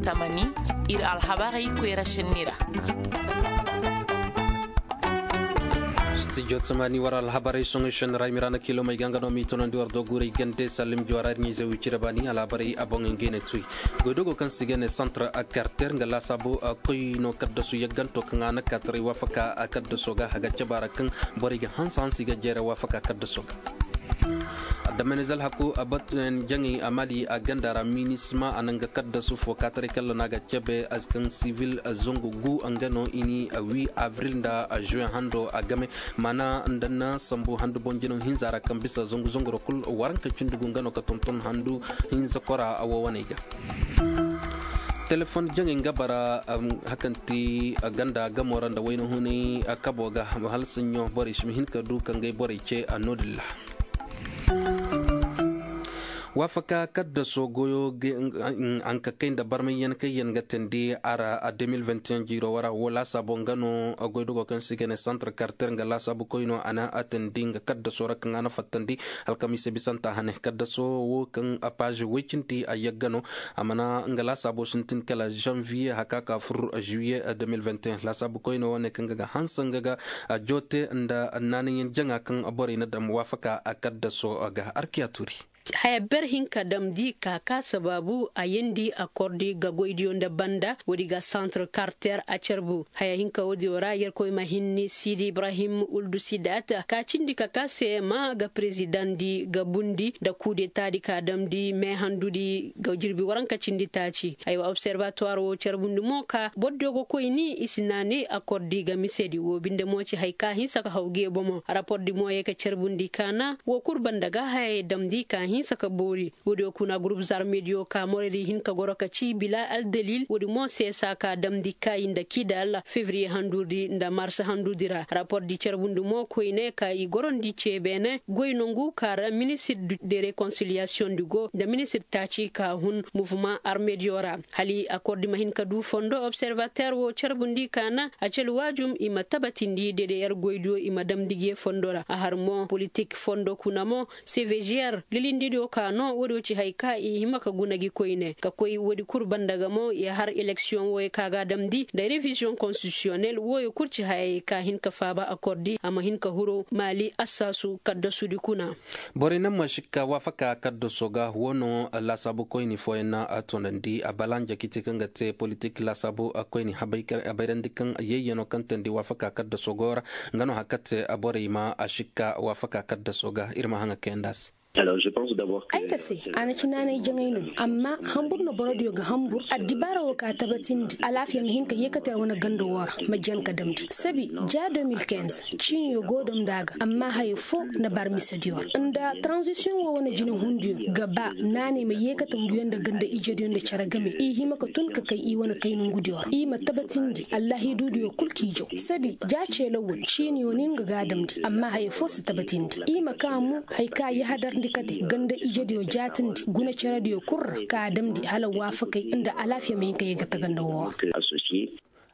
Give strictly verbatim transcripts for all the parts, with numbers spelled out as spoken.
Tamani, ir alhabarey koyra šenni ra. Studio tamani war alhabarey soŋey šenni ra i ma ra na kilomey ga nga no m'i tonandi war do guurey gande sallim juwara ir ɲayze wicira baani alhabarey a boŋey ngey ne tuy. Goydogo kaŋ se i ga ne santar karter nga laasaabu koy no kaddasu yagganto kaŋ a na kaataray waafaka kaddaso ga a ga caba ra kaŋ borey ga hanse hanse i ga jeere waafaka kaddaso ga. Adamaniz alhaku a batu jaŋay a mali a ganda ra minisma a na nga kaddasu fo kaataray kalla no a ga cabe a si kaŋ sivil zangu gu nga no i ni wi abril nda juwen hando a game. Maana nda na sambu handu boŋ jinaw hinza ra kaŋ bisa zangu zangu ra kul waranka cindi gu nga no ka tonton handu hinza kora a wo waney ga. Telefon jaŋay nga bara hakanti ganda gamo ra nda wayna hunay kabo ga hala saɲɲo borey si ma hin ka du ka ngay borey ce a no-din ra. Waafaka kaddaso goyo hanka kay nda barmayyaŋ kaŋ yaŋ ga teendi a ra a deux mille vingt et un jiiro wara wo laasaabo nga no goydogo kaŋ se i ga ne santar karter nga laasaabu koy no a na a teendi nga kaddaso ra kaŋ a na fattandi alkamiisa bisanta hane kaddaso wo kaŋ a paazi woy cindi a yagga no. A mana nga laasaabo sintin kala janvier haka ka fur juillet deux mille vingt et un laasaabu koyne wane kaŋ ga ga hanse nga ga joote nda naanayaŋ jaŋa kaŋ borey na dam waafaka a kaddaso ga arkiya turi. Haya ber hinka damndi ka ka sabaabu a yeendi akordi ga goydiyo nda banda woodi ga santre karter a carbu haya hinka woodiyo ra yerkoy ma hinni siidi ibrahim uldu sidaat ka cindi ka ka seema ga perezidaŋ di ga bundi nda kudetaadi ka damndi meehandudi ga jirbi waranka cindi taaci. Aywa observatuwar wo carbundi mo ka bordiyo ga koy ni i si naanay akordi ga misedi wo binde mo ci haya ka hinsa ka haw gee bomo rapordi mo ye ka carbundi kaana wo kul banda ga hayey damndi ka hinsa ka boori. Woodiyo kuna gurup zarmediyo ka moraydi hin ka goro ka ci bila aldalil woodi mo seesa ka damndi kaayi nda kidal fevriye handurdi nda mars handurdi ra rapordi carbundi mo koyne ka i gorondi ce beene goy nongu ka ra ministir de rekonsiliyasiyoŋ di go nda ministir taaci ka hun muvuma armediyo ra. Hala akordi ma hin ka du fondo observater wo carbundi ka na a cali waajum i ma tabatindi dedeyer goydiyo i ma damndi ge fondo ra a har mo politik fondo kuna mo seveziyer lilindidiyo ka no woodiyo ci haya ka i hima ka guna gi koyne ka koy woodi kul banda ga mo i har eleksiyoŋ wooyo ka ga a damndi nda reviziyoŋ konstitisiyonel wooyo kul ci hayey ka hin ka faaba akordi a ma hin ka huru maali assaasu kaddasudi kuna. Borey naŋ ma sikka waafaka kaddaso ga wo no laasaabu koyni fooyaŋ na a toonandi a balanja kiti kaŋ ga te politik laasaabu koyni habayrandi kaŋ yayyano kaŋ teendi waafaka kaddaso go ra. Nga no haka te borey ma a sikka waafaka kaddaso ga ir ma haŋa kayandi a se. Ay ka se a na ci naanay jaŋay no amma hambur no borodiyo ga hambur addibaara wo ka tabatindi alaafiya ma hin ka yeekate ra wane ganda wo ra ma jan ka damndi sabi ja deux mille quinze ciiniyo go damndi a ga amma haya fo na bar misediyo ra nda taranzisiyoŋ wo wane jinehundiyo ga ba naanay ma yeekate nguyo nda ganda ijediyo nda cere game i hima ka tun ka kay i wane kay nongudiyo ra i ma tabatindi allahiidudiyo kul k'i jaw sabi ja ceelawey ciiniyo no nga ga a damndi amma haya fo si tabatindi i ma ka mo haya ka yahadarndi kate ganda ijediyo jaatindi guna cerediyo kul ra ka a damndi hala waafakey nda alaafiya ma hin ka yee ga tagando woo ra.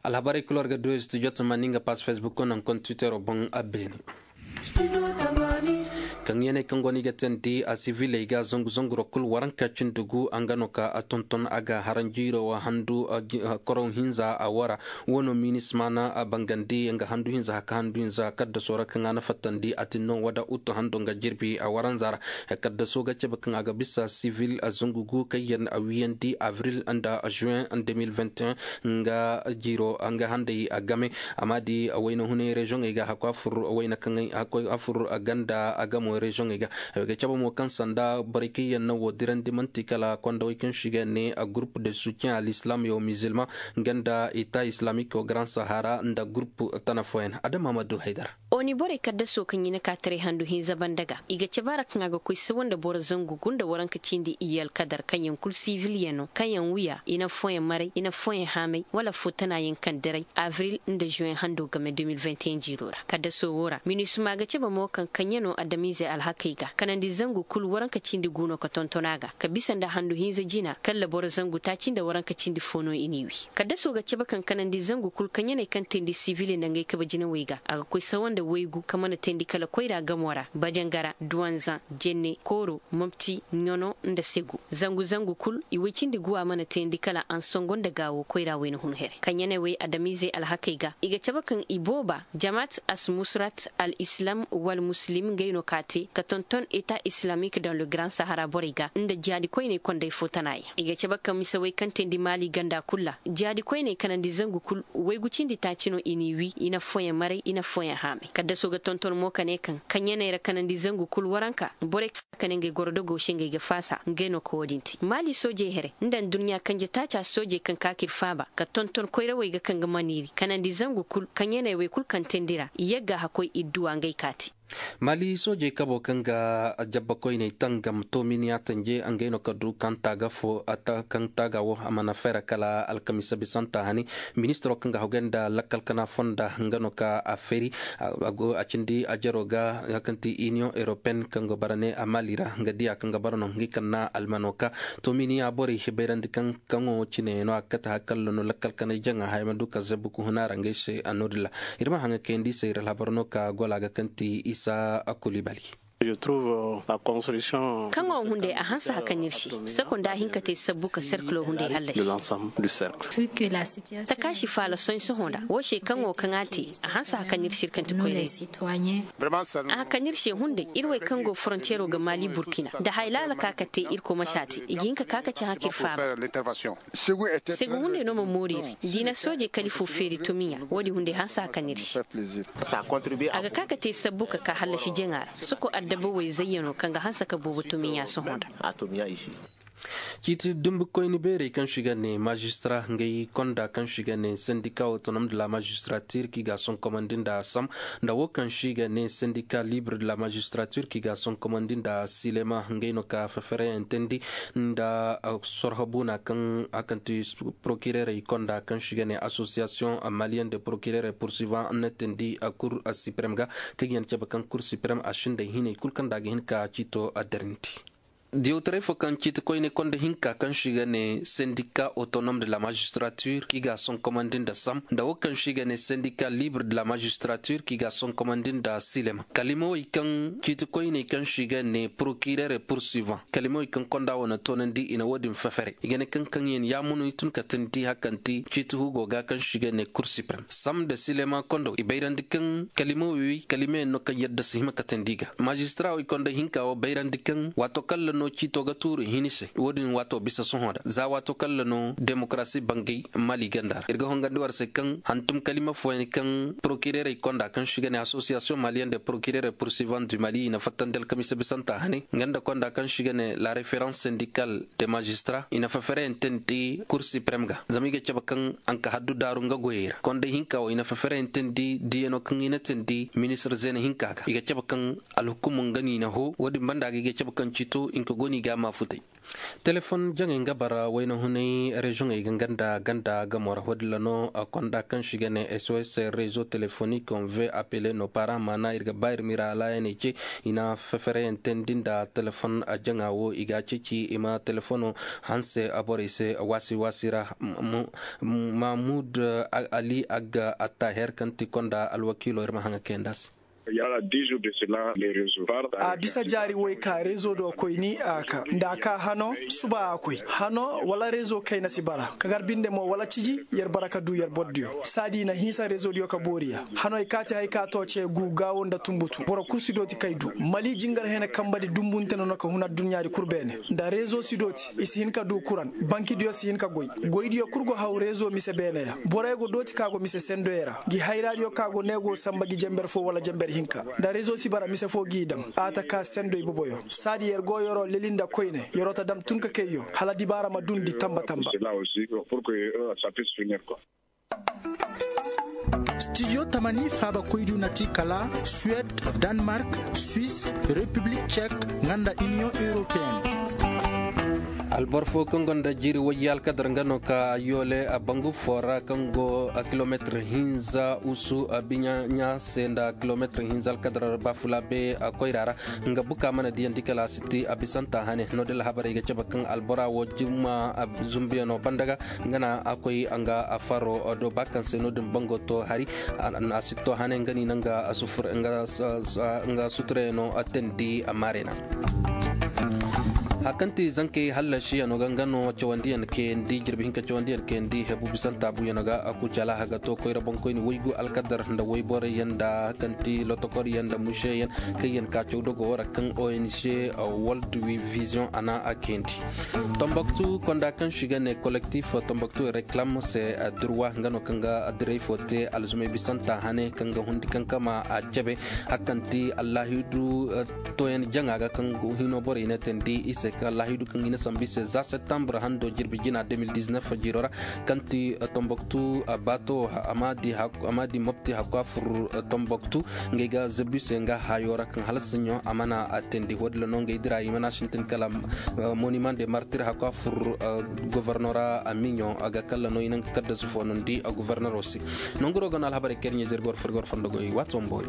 Alhabarey kul war ga du studio tamani nga pass facebook naŋ koŋ twittero boŋ a beene. Kaŋ yeeney kaŋ go no i ga teendi a siviley ga zangu zanguro kul waranka cindi gu a nga no ka a tonton a ga haranjiiro wa handu koroŋ hinza a wara. Wo no minisma na a bangandi nga handu hinza haka handu hinza kaddaso ra kaŋ a na fattandi a tin no wada utu hando nga jirbi a waranza ra. Kaddaso ga cabe kaŋ a ga bisa sivil zangu gu kaŋ yaŋ a wiyandi avril nda juin deux mille vingt et un nga jiiro nga handay a game. Amma di wayna hunay reziyoŋey ga hakku a fur wayna kaŋ hakku a fur ganda a gamo reziyoŋey ga. Ay ga cabe mo kaŋ sanda borey kaŋ yaŋ na wo dirandi manti kala kondawey kaŋ se i ga ne a groupe de soutien a l'islam yaw musulman nga nda eta islamik grand sahara nda groupe tana fooyaŋ adama ma du haydara. Oni borey kaddaso kaŋ i na ka taray handu hinza banda ga i ga cabe a ra kaŋ a ga koy sabo nda boro zangu gunda waranka cindi iyye alkadar kaŋ yaŋ kul sivil yaŋ no kaŋ yaŋ wiya i na fooyaŋ maray i na fooyaŋ haamay wala fo tana yaŋ kaŋ diray avril nda juwen hando game deux mille vingt et un jiiro ra kaddaso wo ra minisma ga cabe mo kaŋ kaŋ yaŋ no adamiizey. Alhakey ga kanandi zangu kul waranka cindi gu no ka tonton a ga ka bisa nda handu hinza jina kalla boro zangu taaci nda waranka cindi fo no i n'i wi. Kaddaso ga cabe kaŋ kanandi zangu kul kaɲaney kaŋ teendi sivili nda ngey kabe jinawey ga a ga koy sawa nda waygu ka mana teendi kala koyra gamo ra bajangara duwanzaŋ, jenne kooro, mopti, ɲono, nda segu. Zangu zangu kul i woy cindi guwa mana teendi kala ansongo nda gaawo koyra wayna hun here kaɲaney wey adamiizey alhakey ga i ga cabe kaŋ ibooba jamaat asmusurat al islam wal muslim ngey no ka te ka tonton eta islamik dan le grand sahara borey ga nda jihaadi koyney kondey fo tana yaŋ i ga cabe kaŋ mise wey kaŋ teendi maali ganda kul ra jihaadi koyney kanandi zangu kul waygu cindi taaci no i n'i wi i na affooyaŋ maray i na affooyaŋ haamay kaddaso ga tonton mo ka ne kaŋ kaɲaney ra kanandi zangu kul waranka borey kaŋ ne ngey goro dogo se ngey ga faasa ngey no ka wo-din te maali soojey here nda nduɲɲa kanje taaca soojey kaŋ ka ka ir faaba ka tonton koyrawey ga kaŋ ga maniiri kanandi zangu kul kaɲaney wey kul kaŋ teendi ra i yagga hakkoy idduwa ngey ka te. Mali soojey kabo kaŋ ga jabba koyney tangam tominiya tanje ngey no ka du kaŋ taaga fo kaŋ taaga wo a mana fere kala alkamisa bisanta hani ministiro kaŋ ga hawgay nda lakkal kana fonda nga no ka a feri a cindi a jaro ga nga kaŋ ti iniyoŋ europeyen kaŋ ga bara ne a mali ra nga diya kaŋ ga bara no nga kaŋ na almano ka tominiya borey bayrandi kaŋ kaŋo cine no a ga kate hakalla no lakkal kanay jaŋa haya ma du ka zabbu ka huna ra ngey se a no din ra. Ir ma haŋa kayandi se ir alhabar no ka gola ga kaŋ ti isa kulibali. Kaŋo hunday a hanse haka nir se seko nda a hin ka te sabbu ka serkilo hunday hallasi. Takaasi faala sohõ sohõ nda wo se kaŋo kaŋ a te a hanse haka nir se ir kaŋ ti koyne. A haka nir se hunday ir wey kaŋ go forontiyero ga maali burkina nda hay laala ka ka te ir komasa te i ga hin ka ka ka ci haka ir faaba. Segu hunday no ma moori iri da i na soojey kalifu feeri tumiya wo-din hunday hanse haka nir se. A ga ka ka te sabbu ka ka hallasi jaŋa ra soko addabawey zayyano kaŋ ga hanse ka boobo tumiya sohõ nda. Ciiti dumbukoyni beerey kaŋ si ga ne maazistara ngey konda kaŋ si ga ne sendika otonom de la maazistaratir kaŋ i ga a sonkomandi nda sam nda wo kaŋ si ga ne sendika libre de la maazistaratir kaŋ i ga a sonkomandi nda silema ngey no ka fefereyaŋ teendi nda sorho buuna kaŋ a kaŋ ti porokirerey konda kaŋ si ga ne asosiyasiyoŋ maliyen de porokirerey pursivan na teendi kur siprem ga kaŋ yaŋ cabe kaŋ kur siprem a sinday hinay kul kaŋ nda a ga hin ka ciito addarnti. Diyawtaray fo kaŋ ciiti koyne konda hinka kaŋ si ga ne sendika otonom de la maazistaratir kaŋ i ga a sonkomandi nda sam nda wo kaŋ si ga ne sendika libre de la maazistaratir kaŋ i ga a sonkomandi nda silema kalimawey kaŋ ciiti koyney kaŋ si ga ne porokirere pursivan kalimawey kaŋ konda wo na toonandi i na wo-din fefere i ga ne kaŋ kaŋ yaŋ yaamunu i tun ka teendi hakanti ciiti hugo ga kaŋ si ga ne kur siprem sam nda silema kondo i bayrandi kaŋ kalimawey kalimey no kaŋ yadda si hima ka teendi ga maazistara wey konda hinka wo bayrandi kaŋ waato kalla no ciito ga tuuru hini se wo-din waato bisa sohõ ra za waato kalla no demokarasi bangay mali ganda ra ir ga hongandi war se kaŋ hantum kalima fooyaŋ kaŋ porokirerey konda kaŋ si ga ne asosiyasiyoŋ maliyen de porokirerey pursivan du mali i na fattandi alkamisa bisanta hane nga nda konda kaŋ si ga ne la referans sendikal de maazistara i na fefereyaŋ teendi kur siprem ga zama i ga cabe kaŋ a nka haddu daaru nga goyey ra konda hinka wo i na fefereyaŋ teendi diyano kaŋ i na teendi ministir zeena hinka ga i ga cabe kaŋ alhukumu nga no i na hoo wo-din banda ga i ga cabe kaŋ ciito i nka go no i ga a maafutay. Telefon jaŋey nga bara wayna hunay reziyoŋey ga nga nda ganda gamo ra wo-din ra no konda kaŋ si ga ne sos rezo telefonik on ve apele no para maana ir ga ba ir mira alaayaney ce i na fefereyaŋ teendi nda telefon jaŋa wo i ga a ceeci i ma telefono hanse borey se waasi waasi ra. Mahmud ali agga attaher kaŋ ti konda alwakiilo ir ma haŋa kayandi a se. A bisa jaari woy ka rezo do koyni a ka nda a ka hano suba a koy hano wala rezo kayna si bara ka gar binde mo wala ciji yer bara ka du yer bordiyo saadi i na hinsa rezodiyo ka boori ya hano ay kaati hay ka to ce gu gaawo nda tumbutu boro kul si dooti kay du mali jingar hene kambadi dumbunte no no ka hun adduɲɲaadi kul beene nda rezo si dooti i si hin ka du kuran bankidiyo si hin ka goy goydiyo kul go haw rezo mise beene ya borey go dooti ka go mise sendoyey ra ngi hayraadiyo ka go ne go samba ngi jember fo wala jember hinka nda rezo si bara mise fo g'i daŋ a ta ka sendo iboboyo saadi yer go yeroo leli nda koyne yeroo ta dam tun ka kayyo hala dibaara ma dundi tamba tamba. Stijo tamani faabakoydiyo na ti kala suwed, danmark, swis, repiblik cek, nga nda iniyoŋ europeyenne. Albor fo kaŋ gonda jiiri wayye alkadar nga no ka yoole a bangu fo ra kaŋ go a kilometir hinza usu a biɲa ɲa se nda kilometir hinza alkadar bafula be a koyra ra. Nga buka mana diyaŋ di kala a si ti a bisanta hane no- din alhabarey ga cabe kaŋ albora wo juma a zumbuyaŋo banda ga nga na a koy nga a faro do ba kaŋ se no- din bango to hari. A si to hane nga ni naŋ ga a sufur nga suturayano a tandi a maarena. Hari kaŋ ti zankey hallasiyano ga nga no cawandiyaŋ kayandi jirbi hinka cawandiyaŋ kayandi hebu bisanta buyano ga a kucala haga to koyra boŋkoyni waygu alkadar nda wayborayyaŋ nda hari kaŋ ti lotokoryaŋ nda museyaŋ kaŋ yaŋ ka caw dogo wo ra kaŋ ong world vision a na a kayandi. Tomboktu konda kaŋ si ga ne kolektif tomboktu reklam se durwa nga no kaŋ ga diray fo te alzumay bisanta hane kaŋ ga hundi kaŋ kama a cabe. Hari kaŋ ti allahidu toyaŋ jaŋa ga kaŋ hino borey ne tandi i se kaŋ allahidu kaŋ i na sambu i se za septembre hando jirbi jina deux mille dix-neuf jiiro ra. Kaŋ ti tomboktu baato a ma di mopti hakku a fur tomboktu. Ngey ga zabi se nga hayo ra kaŋ hala siɲo a mana a tindi wo- din ra no ngey dira i mana sintin kala monument de martir hakku a fur govornora a miɲo a ga kala no i naŋ ga kaddasu fo no ni di govornoro se. Nonguro ga no alhabarey kaŋ ir ɲa zirgor furgor fondo goy waato ma boori.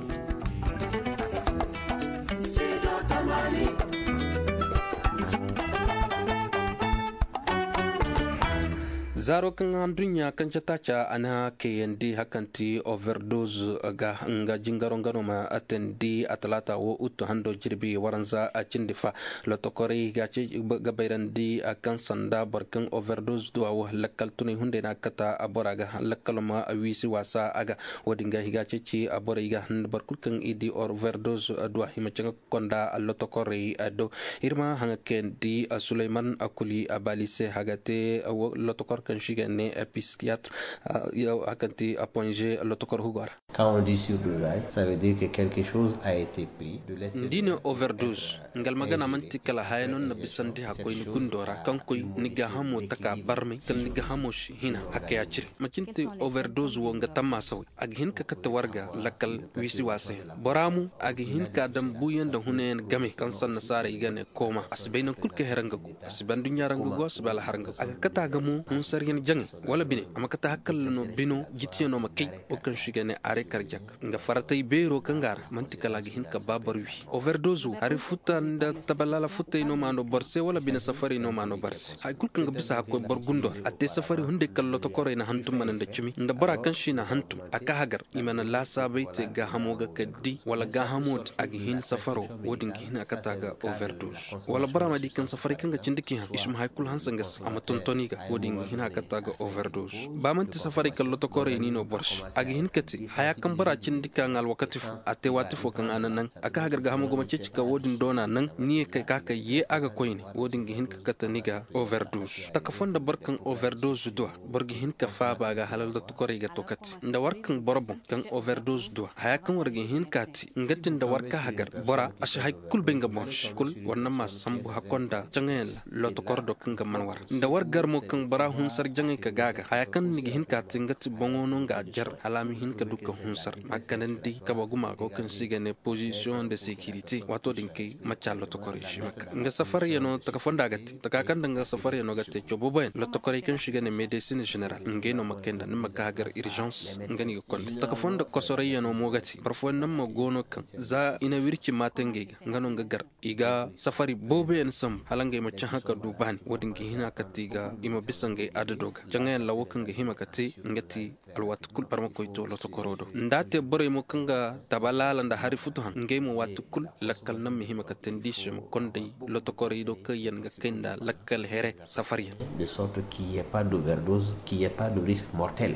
Zaaro kaŋ aduɲɲa kaŋ cata ca a na kayandi hari kaŋ ti overdoz ga nga jingaro nga no ma tandi a talaata wo uttu hando jirbi waranza a cindi fa. Lotokorey ga bayrandi kaŋ sanda boro kaŋ overdoz duwa wo lakkal tunay hunday no a ga kata bora ga lakkalo ma wiisi waasa a ga. Wo- din ga i ga ceeci borey ga boro kulu kaŋ i di overdoz duwa i ma caŋ ga konda lotokorey do. Ir ma haŋa kayandi suleyman kuli a baali se haga te lotokor kaŋ si ga ne piskiyatr. Hari kaŋ ti a ponze lotokor hugo ra. Quand on dit surdosage, ça veut dire que quelque chose a été pris de l'extérieur. Ni di ne overdoz nga almagana manti kala haya no ni na bisandi hakkoy ni gundo ra kaŋ koy ni gaahamo taka barmay kala ni gaahamo si hina hakka ya cire. Macin ti overdoz wo nga tamma saway a ga hin ka kate warga lakkal wiisi waasa yaŋ bora mo a ga hin ka daŋ buuyaŋ nda hunayaŋ game kaŋ sanna saara i ga ne kooma a si bay naŋ kulu ka hera nga go a si bay nduɲɲa ra nga go a si bay alhar nga go a ga kate a ga mo hunsaryaŋ jaŋay wala bine a ma kate hakalla no bino jitiyaŋo ma kay wo kaŋ si ga ne aray karjak nga faratay beero kaŋ ga a ra manti kala a ga hin ka ba boro wi overdozo hari futa nda tabalaala futay no ma no boro se wala bine safaray no ma no boro se hari kulu kaŋ ga bisa hakkoy boro gundo ra a te safari hunday kala lotokorey na hantum mana nda cimi nda bora kaŋ si na hantum a ka hagar i mana laasaabay te gaahamo ga ka di wala gaahamo din a ga hin safaro wo- din ga hin a kata ga overdoz wala bora ma di kaŋ safaray kaŋ ga cindi k'i han i si ma hari kulu hanse nga se a ma tontoni ga wo- din ga hin a kata ga overdoz ba manti safaray kala lotokorey ni no boro se a ga hin ka te haya kaŋ bora cindi ka ŋa alwakati fo a te waati fo kaŋ a na naŋ a ka hagar gaahamo ga ma ceeci ka wo- din doona naŋ ni ye ka ka ka ye a ga koyne wo- din ga hin ka kate ni ga overdoz taka fo nda boro kaŋ overdoz duwa boro ga hin ka faaba ga hala lotokorey ga to kate nda war kaŋ boro boŋ kaŋ overdoz duwa haya kaŋ war ga hin ka te nga ti nda war ka hagar bora a si hay kul bay nga boŋ se kul war na ma sambu hakko nda caŋayaŋ ra lotokor do kaŋ ga man war nda war gar mo kaŋ bora hunsar jaŋay ka gaaga haya kaŋ ni ga hin ka te nga ti boŋo no nga jar hala a ma hin ka du ka hunsar ma kanandi kaba guma go kaŋ se i ga ne pozisiyoŋ de sekirite waato din kay macca lotokorey si ma ka nga safaryaŋo taka fo nda a ga te taka kaŋ nda nga safaryano ga te coo booboyaŋ lotokorey kaŋ si ga ne medesin general ngey no ma kay nda ni ma ka hagar irzans nga no i ga konda taka fo nda kosoroyyano mo ga te boro fooyaŋ naŋ mo go no kaŋ za i na wirci maate ngey ga nga no nga gar i ga safari booboyaŋ sambu hala ngey ma cahã ka du baani wo- din ga hina ka te i ga i ma bisa ngey adado ga jaŋayaŋ ra wo kaŋ ga hima ka te nga ti alwaati kul barmakoy to lotokoro do nda a te borey mo kaŋ ga tabalaala nda hari futu han ngey mo waati kul lakkal naŋ ma hima ka teendi i se ma konday lotokorey do kaŋ yaŋ ga kay nda lakkal here safariyaŋ. De sorte qu'il n'y ait pas d'overdose, qu'il n'y ait pas de risque mortel.